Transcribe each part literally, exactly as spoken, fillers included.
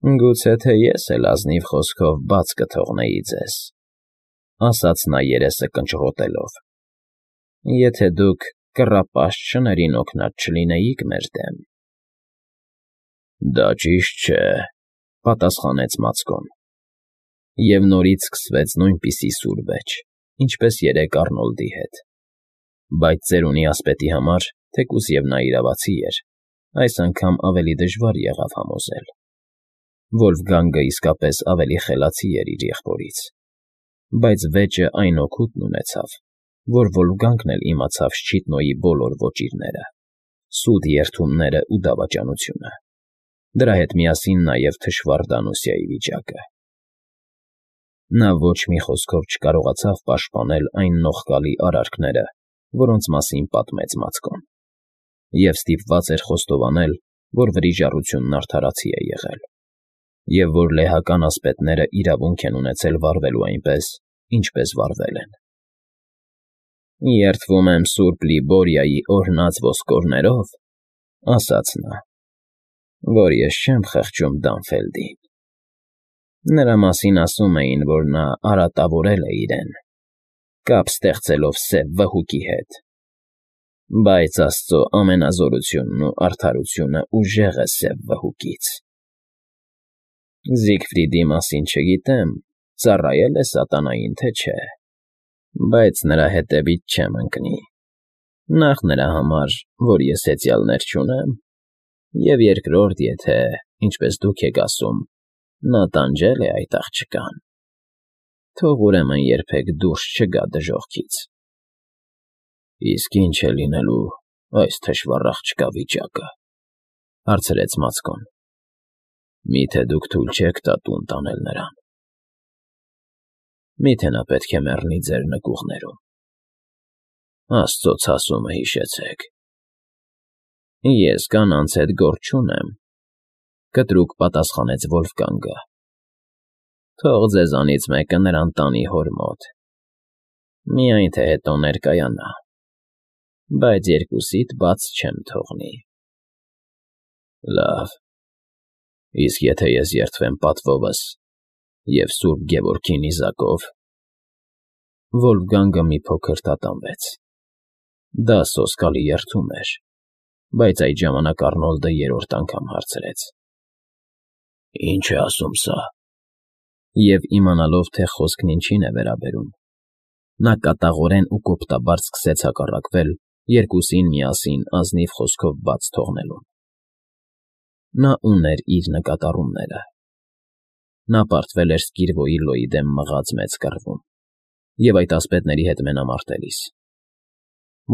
Գուցե թե ես էլ ազնիվ խոսքով բաց կթողնեի ձեզ, ասաց նա երեսը կնճռոտելով, եթե դուք կռապաշտ շներին օգնած չլինեիք մեր դեմ։ ֊ Դա ճիշտ չէ,֊ պատասխանեց Մացկոն, և նորից սկսվեց նույնպիսի սուր վեճ, ինչպես երեկ Առնոլդի հետ, բայց ծերունի ասպետի համար, թեկուզ և նա իրավացի էր, այս անգամ ավելի դժվար եղավ համոզել. Վոլֆգանգը իսկապես ավելի խելացի էր իր եղբորից, բայց վեճը այն օգուտն ունեցավ, որ Վոլֆգանգն էլ իմացավ Շչիտնոյի բոլոր ոճիրները, սուտ երդումներն ու դավաճանությունը, դրա հետ միասին նաև թշվառ Դանուսիայի վիճակը։ Նա ոչ մի խոսքով չկարողացավ պաշտպանել այն նողկալի արարքները, որոնց մասին պատմեց Մացկոն, և ստիպված էր խոստովանել, որ վրիժառությունն արդարացի է եղել, և որ լեհական ասպետները իրավունք են ունեցել վարվելու այնպես, ինչպես վարվել են։ ֊ Երդվում եմ սուրբ Լիբորիայի օրհնած ոսկորներով,֊ ասաց նա,֊ որ ես չեմ խղճում Դանֆելդին. նրա մասին ասում էին, որ նա արատավորել է իրեն, կապ ստեղծելով սև վհուկի հետ, բայց աստծո ամենազորությունն ու արդարությունը ուժեղ է սև վհուկից։ Զիգֆրիդի մասին չգիտեմ, ծառայել է սատանային, թե չէ, բայց նրա հետևից չեմ ընկնի, նախ նրա համար, որ ես հեծյալներ չունեմ, և երկրորդ, եթե, ինչպես դուք եք ասում, նա տանջել է այդ աղջկան, թող ուրեմն երբեք դուրս չգա դժոխքից։ ֊ Իսկ ի՞նչ է լինելու այս թշվառ աղջկա վիճակը,֊ հարցրեց Մացկոն։ ֊ Մի՞թե դուք թույլ չեք տա տուն տանել նրան։ Մի՞թե նա պետք է մեռնի ձեր նկուղներում։ Աստծո ցասումը հիշեցեք։ ֊ Ես կանանց հետ գործ չունեմ,֊ կտրուկ պատասխանեց Վոլֆգանգը։ Թող ձեզանից մեկը նրան տանի հոր մոտ, միայն թե հետո ներկայանա, բայց երկուսիդ բաց չեմ թողնի։ ֊ Լավ, իսկ եթե ես երդվեմ պատվովս և սուրբ Գևորգի նիզակով… Վոլֆգանգը մի փոքր տատանվեց. դա սոսկալի երդում էր, բայց այդ ժամանակ Առնոլդը երրորդ անգամ հարցրեց. ֊ Ի՞նչ է ասում սա։ Եվ իմանալով, թե խոսքն ինչին է վերաբերում, նա կատաղորեն ու կոպտաբար սկսեց հակառակվել երկուսին միասին ազնիվ խոսքով բաց թողնելուն։ Նա ուներ իր նկատառումները. նա պարտվել էր Սկիրվոյիլլոյի դեմ մղած մեծ կռվում և այդ ասպետների հետ մենամարտելիս։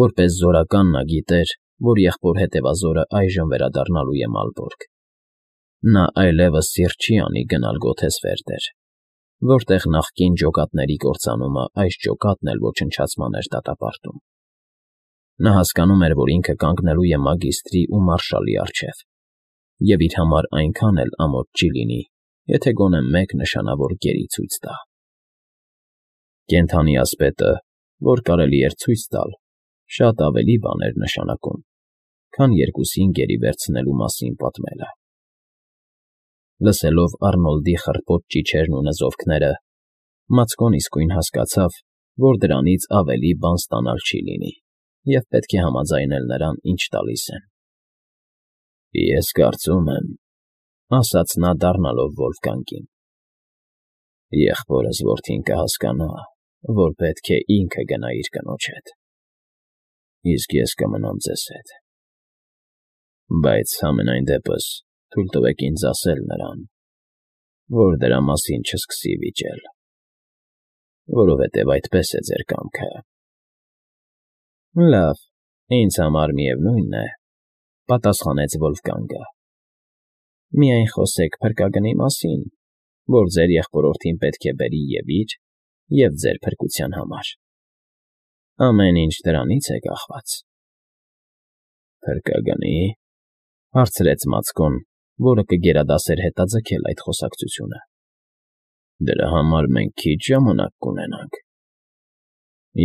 Որպես զորական նա գիտեր, որ եղբոր հետևազորը այժմ վերադառնալու է Մալբորգ։ Նա այլևս սիրտ չի անի գնալ Գոթեսվերդեր, որտեղ նախկին ջոկատների կործանումը այս ջոկատն էլ ոչնչացման էր դատապարտում։ Նա հասկանում էր, որ ինքը կանգնելու է մագիստրի ու մարշալի առջև, և իր համար այնքան էլ ամոթ չի լինի, եթե գոնե մեկ նշանավոր գերի ցույց տա։ Կենդանի ասպետը, որ կարելի էր ցույց տալ, շատ ավելի բան էր նշանակում, քան երկուսին գերի վերցնելու մասին պատմելը։ Լսելով Առնոլդի խռպոտ ճիչերն ու նզովքները, Մացկոն իսկույն հասկացավ, որ դրանից ավելի բան ստանալ չի լինի, և պետք է համաձայնել նրան, ինչ տալիս են։ ֊ Ես կարծում եմ,֊ ասաց նա, դառնալով Վոլֆգանգին,֊ եղբորս որդին կհասկանա, որ պետք է ինքը գնա իր կնոջ հետ, իսկ ես կմնամ ձեզ հետ։ Բայց համենայն դեպս թույլ տվեք ինձ ասել նրան, որ դրա մասին չսկսի վիճել, որովհետև այդպես է ձեր կամքը։ ֊ Լավ, ինձ համար միևնույն է,֊ պատասխանեց Վոլֆգանգը։ Միայն խոսեք փրկագնի մասին, որ ձեր եղբորորդին պետք է բերի և՛ իր, և՛ ձեր փրկության համար։ Ամեն ինչ դրանից է կախված։ ֊ Փրկագնի՞…֊ հարցրեց Մացկոն, որը կգերադասեր հետաձգել այդ խոսակցությունը։ ֊ Դրա համար մենք քիչ ժամանակ կունենանք։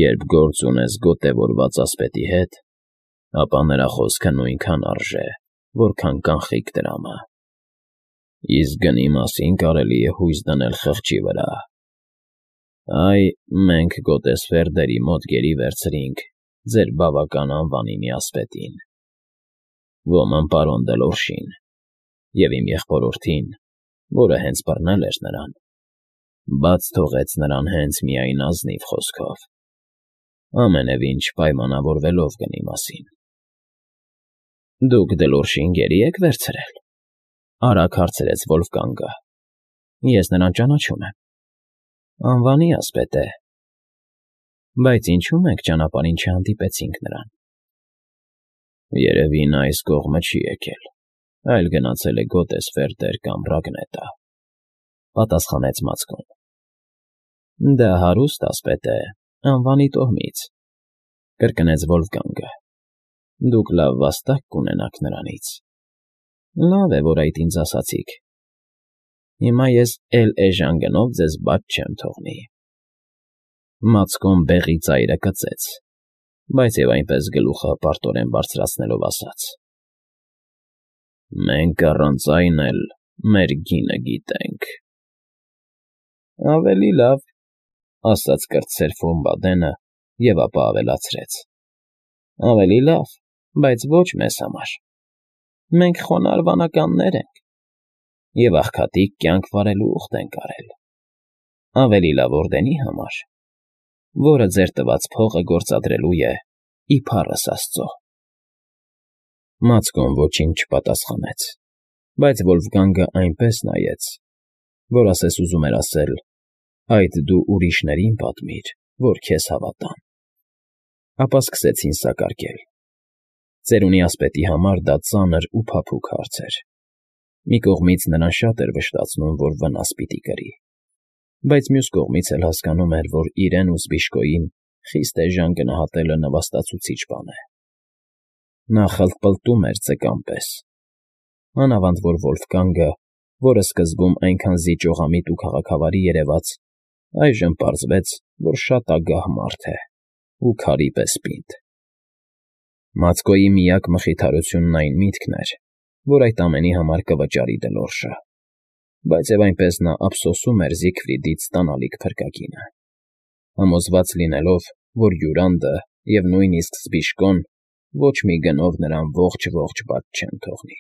Երբ գործ ունես գոտևորված ասպետի հետ, ապա նրա խոսքը նույնքան արժե, որքան կանխիկ տրամը։ Իսկ գնի մասին կարելի է հույս դնել խղճի վրա։ Այ, մենք գոտեսֆերդերի մոտ գերի վերցրինք ձեր բավական անվանի միասպետին, ոմն պարոն Դելորշին, և իմ եղբորորդին, որը հենց բռնել էր նրան, բաց թողեց նրան հենց միայն ազնիվ խոսքով, ամենևին չպայմանավորվելով գնի մասին։ ֊ Դուք Դելորշին գերի՞ եք վերցրել,֊ արագ հարցրեց Վոլֆգանգը։ ֊ Ես նրան ճանաչում եմ, անվանի ասպետ է, բայց ինչու մենք ճանապարհին չհանդիպեցինք նրան։ ֊ Երևի նա այս կողմը չի եկել, այլ գնացել է Գոտեսֆերդեր կամ Ռագնետա,֊ պատասխանեց Մացկոն։ ֊ Դա հարուստ ասպետ է, անվանի տոհմից,֊ կրկնեց Վոլֆգանգը։ Դուք լավ վաստակ կունենաք նրանից։ Լավ է, որ այդ ինձ ասացիք։ Հիմա ես էլ էժան գնով ձեզ բաց չեմ թողնի։ Մացկոն բեղի ծայրը կծեց, բայց և այնպես գլուխը պարտորեն բարձրացնելով ասաց. Մենք առանց այն էլ մեր գինը գիտենք։ ֊ Ավելի լավ,֊ ասաց կրտսեր Ֆոմբադենը և ապա ավելացրեց. ավելի լավ, բայց ոչ մեզ համար։ Մենք խոնարհ վանականներ ենք և աղքատիկ կյանք վարելու ուխտ ենք արել, ավելի լավ օրդենի համար, որը ձեր տված փողը գործադրելու է իբառս աստծո։ Մացկոն ոչինչ չպատասխանեց, բայց Վոլֆգանգը այնպես նայեց, որ ասես ուզում էր ասել. «Այդ դու ուրիշներին պատմիր, որ քեզ հավատան»։ Ապա սկսեցին սակարկել։ Ծերունի ասպետի համար դա ծանր ու փափուկ հարց էր։ Մի կողմից նրան շատ էր վշտացնում, որ վնաս պիտի կրի, բայց մյուս կողմից էլ հասկանում էր, որ իրեն ու Զբիշկոյին խիստ էժան գնահատելը նվաստացուցիչ բան է։ Նա խլտպլտում էր ձկան պես, մանավանդ որ Վոլֆգանգը, որը սկզբում այնքան զիջողամիտ ու քաղաքավարի երևաց, այժմ պարզվեց, որ շատ ագահ մարդ է ու քարի պես պինդ։ Մացկոյի միակ մխիթարությունն այն միտքն էր, որ այդ ամենի համար կվճարի Դլորշը, բայց և այնպես նա ափսոսում էր Զիգֆրիդից ստանալիք փրկագինը, համոզված լինելով, որ Յուրանդը և նույնիսկ Զբիշկոն ոչ մի գնով նրան ողջ֊ողջ բաց չեն թողնի։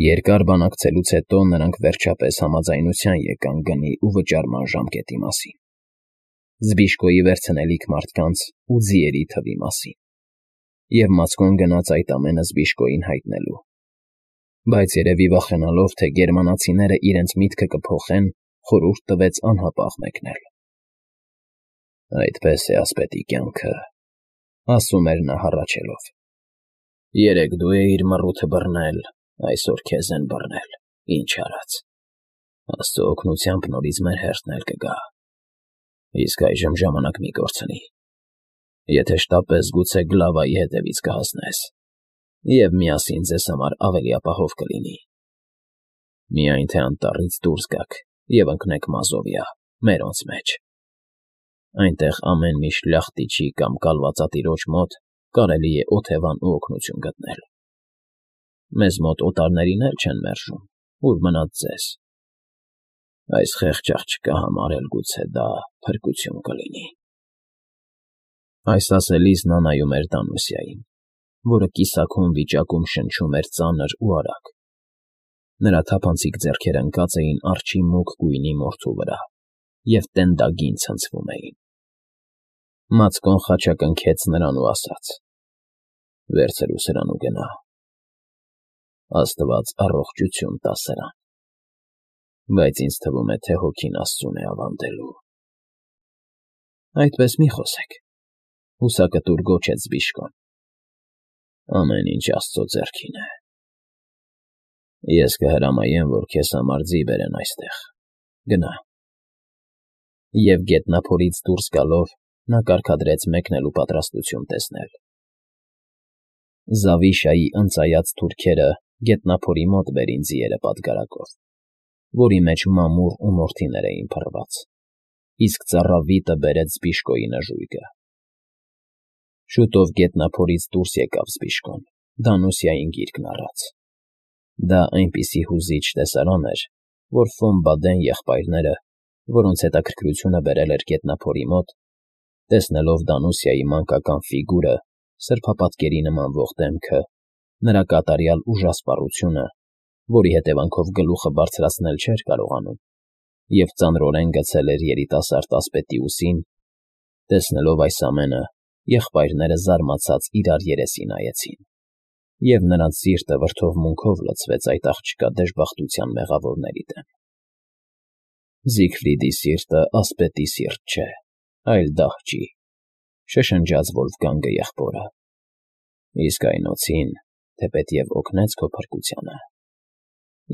Երկար բանակցելուց հետո նրանք վերջապես համաձայնության եկան գնի ու վճարման ժամկետի մասին, Զբիշկոյի վերցնելիք մարդկանց ու ձիերի թվի մասին, և Մացկոն գնաց այդ ամենը Զբիշկոյին հայտնելու, բայց երևի վախենալով, թե գերմանացիները իրենց միտքը կփոխեն, խորհուրդ տվեց անհապաղ մեկնել։ «Այդպես է ասպետի կյանքը,֊ ասում էր նա հառաչելով։ Երեկ դու էիր մռութը բռնել, այսօր քեզ են բռնել, ինչ արած։ Աստծո օգնությամբ նորից մեր հերթն էլ կգա։ Իսկ այժմ ժամանակ մի կորցնի։ Եթե շտապես, գուցե Գլավայի հետևից կհասնես, և միասին ձեզ համար ավելի ապահով կլինի։ Միայն թե անտառից դուրս գաք և ընկնեք Մազովիա, մերոնց մեջ։ Այնտեղ ամեն մի շլախտիչի կամ կալվածատիրոջ մոտ կարելի է օթևան ու օգնություն գտնել։ Մեզ մոտ օտարներին էլ չեն մերժում, ուր մնաց ձեզ։ Այս խեղճ աղջկա համար էլ գուցե դա փրկություն կլինի»։ Այս ասելիս նա նայում էր Դանուսիային, որը կիսաքուն վիճակում շնչում էր ծանր ու արագ։ Նրա թափանցիկ ձեռքերը ընկած էին արջի մուգ գույնի մորթու վրա և տենդագին ցնցվում էին։ Մացկոն խաչակնքեց նրան ու ասաց. «Վերցրու սրան ու գնա։ Աստված առողջություն տա սրան, բայց ինձ թվում է, թե հոգին Աստծուն է ավանդելու»։ «Այդպես մի խոսեք,֊ հուսակտուր գոչեց Զբիշկոն։ Ամեն ինչ Աստծո ձեռքին է։ Ես կհրամայեմ, որ քեզ համար ձի բերեն այստեղ, գնա»։ Եվ գետնափորից դուրս գալով նա կարգադրեց մեկնելու պատրաստություն տեսնել։ Զավիշայի ընծայած թուրքերը գետնափորի մոտ բերին ձիերը պատգարակով, որի մեջ մամուռ ու մորթիներ էին փռված, իսկ ծառավիտը բերեց Զբիշկոյի նժույգը։ Շուտով գետնափորից դուրս եկավ Զբիշկոն, Դանուսիային գիրկն առած։ Դա այնպիսի հուզիչ տեսարան էր, որ Ֆոն Բադեն եղբայրները, որոնց հետաքրքրությունը բերել էր գետնափորի մոտ, տեսնելով Դանուսիայի մանկական ֆիգուրը, սրբապատկերի նմանվող դեմքը, նրա կատարյալ ուժասպառությունը, որի հետևանքով գլուխը բարձրացնել չէր կարողանում, և ծանրորեն գցել էր երիտասարդ ասպետի ուսին, տեսնելով այս ամենը, եղբայրները զարմացած իրար երեսի նայեցին, և նրանց սիրտը վրդովմունքով լցվեց այդ աղջկա դժբախտության մեղավորների դեմ։ Զիգֆրիդի սիրտը ասպետի սիրտ չէ, այլ դահճի, շշնջաց Վոլֆգանգը եղբորը, իսկ այն օձին, թեպետև օգնեց քո փրկությանը,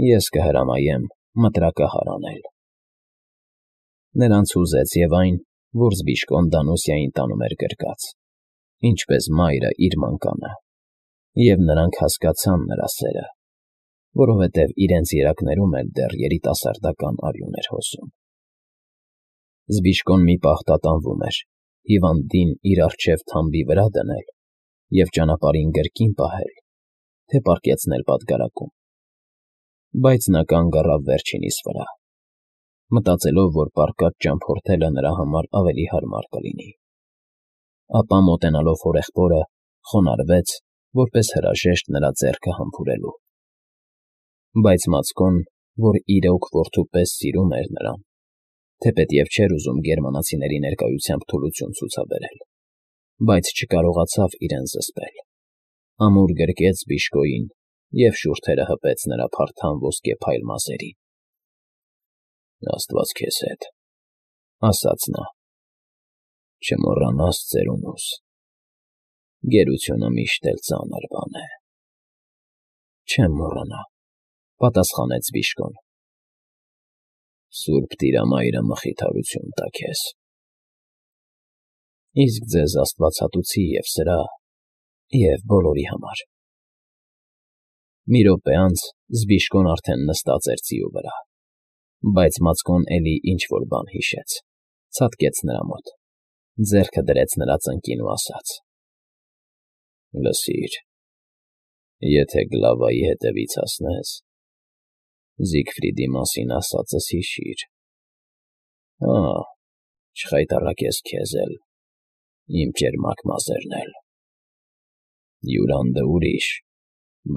ես կհրամայեմ մտրակահար անել։ Նրանց հուզեց և այն, որ Զբիշկոն Դանուսիային տանում էր գրկած, ինչպես մայրը իր մանկանը, և նրանք հասկացան նրա սերը, որովհետև իրենց երակներում էլ դեռ երիտասարդական արյուն էր հոսում։ Զբիշկոն մի պահ տատանվում էր, հիվանդին իր առջև թամբի վրա դնել և ճանապարհին գրկին պահել, թե պառկեցնել պատգարակում, բայց նա կանգ առավ վերջինիս վրա, մտածելով, որ պառկած ճամփորդելը նրա համար ավելի հարմար կլինի, ապա մոտենալով հորեղբորը, խոնարհվեց, որպես հրաժեշտ նրա ձեռքը համբուրելու։ Բայց Մացկոն, որ իրոք որդու պես սիրում էր նրան, թեպետև չէր ուզում գերմանացիների ներկայությամբ թուլություն ցուցաբերել, բայց չկարողացավ իրեն զսպել, ամուր գրկեց Զբիշկոյին և շուրթերը հպեց նրա փարթամ ոսկեփայլ մազերին։ «Աստված քեզ հետ,֊ ասաց նա,֊ չմոռանաս ծերունուս, գերությունը միշտ էլ ծանր բան է»։ «Չեմ մոռանա,֊ պատասխանեց Զբիշկոն։ Սուրբ Տիրամայրը մխիթարություն տա քեզ։ Իսկ ձեզ աստվածատուցի և սրա, և բոլորի համար։ Մի րոպե անց Զբիշկոն արդեն նստած էր ձիու վրա, բայց Մացկոն էլի ինչ֊որ բան հիշեց, ցատկեց նրա մոտ, ձեռքը դրեց նրա ծնկին ու ասաց. «Լսիր, եթե Գլավայի հետևից հասնես, Զիգֆրիդի մասին ասածս հիշիր, հա՛, չխայտառակես քեզ էլ, իմ ճերմակ մազերն էլ։ Յուրանդը ուրիշ,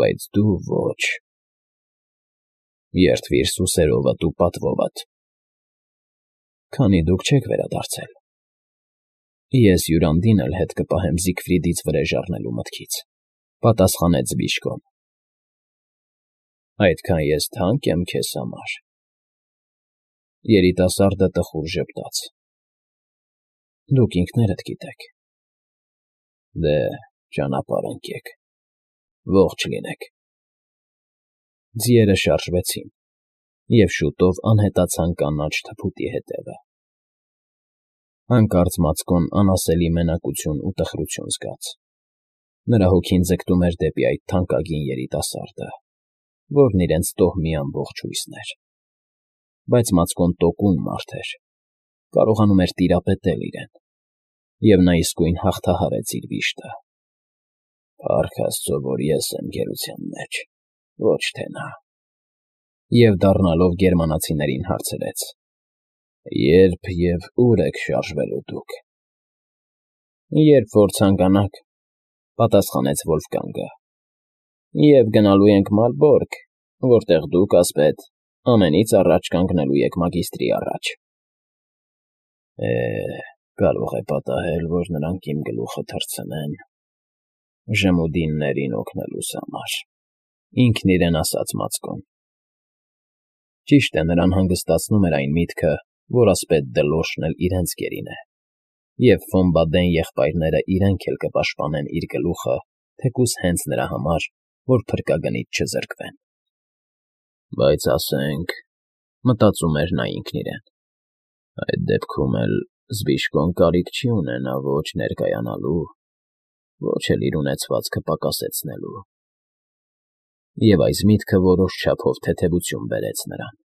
բայց դու ոչ։ Երդվիր սուսերովդ ու պատվովդ։ Քանի դուք չեք վերադարձել, ես Յուրանդին էլ հետ կպահեմ Զիգֆրիդից վրեժ առնելու մտքից,֊ պատասխանեց Զբիշկոն։ Այդքան ես թանկ եմ քեզ համար։ Երիտասարդը տխուր ժպտաց։ Դուք ինքներդ գիտեք։ Դե, ճանապարհ ընկեք, ողջ լինեք։ Ձիերը շարժվեցին, և շուտով անհետացան կանաչ թփուտի հետևը։ Հանկարծ Մացկոն անասելի մենակություն ու տխրություն զգաց։ Նրա հոգին ձգտում էր դեպի այդ թանկագին երիտասարդը, որն իրենց տոհմի ամբողջ հույսն էր։ Բայց Մացկոն տոկուն մարդ էր, կարողանում էր տիրապետել իրեն, և նա իսկույն հաղթահարեց իր վիշտը։ Փառք Աստծո, որ ես եմ գերության մեջ, ոչ թե նա։ Եվ դառնալով գերմանացիներին հարցրեց. Ե՞րբ և ո՞ւր եք շարժվելու դուք։ Երբ որ ցանկանաք,֊ պատասխանեց Վոլֆգանգը, և գնալու ենք Մալբորգ, որտեղ դուք, ասպետ, ամենից առաջ կանգնելու եք մագիստրի առաջ։ Է, կարող է պատահել, որ նրանք իմ գլուխը թռցնեն ժմուդիններին օգնելուս համար,֊ ինքն իրեն ասաց Մացկոն։ Ճիշտ է, նրան հանգստացնում էր այն միտքը, որ ասպետ Դլոշն էլ իրենց գերին է, և Ֆոն Բադեն եղբայրները իրենք էլ կպաշտպանեն իր գլուխը, թեկուզ հենց նրա համար, որ փրկագնից չզրկվեն։ Բայց ասենք,֊ մտածում էր նա ինքն իրեն,֊ այդ դեպքում էլ Զբիշկոն կարիք չի ունենա ոչ ներկայանալու, ոչ էլ իր ունեցվածքը պակասեցնելու։ Եվ այս միտքը որոշ չափով թեթևություն բերեց նրան։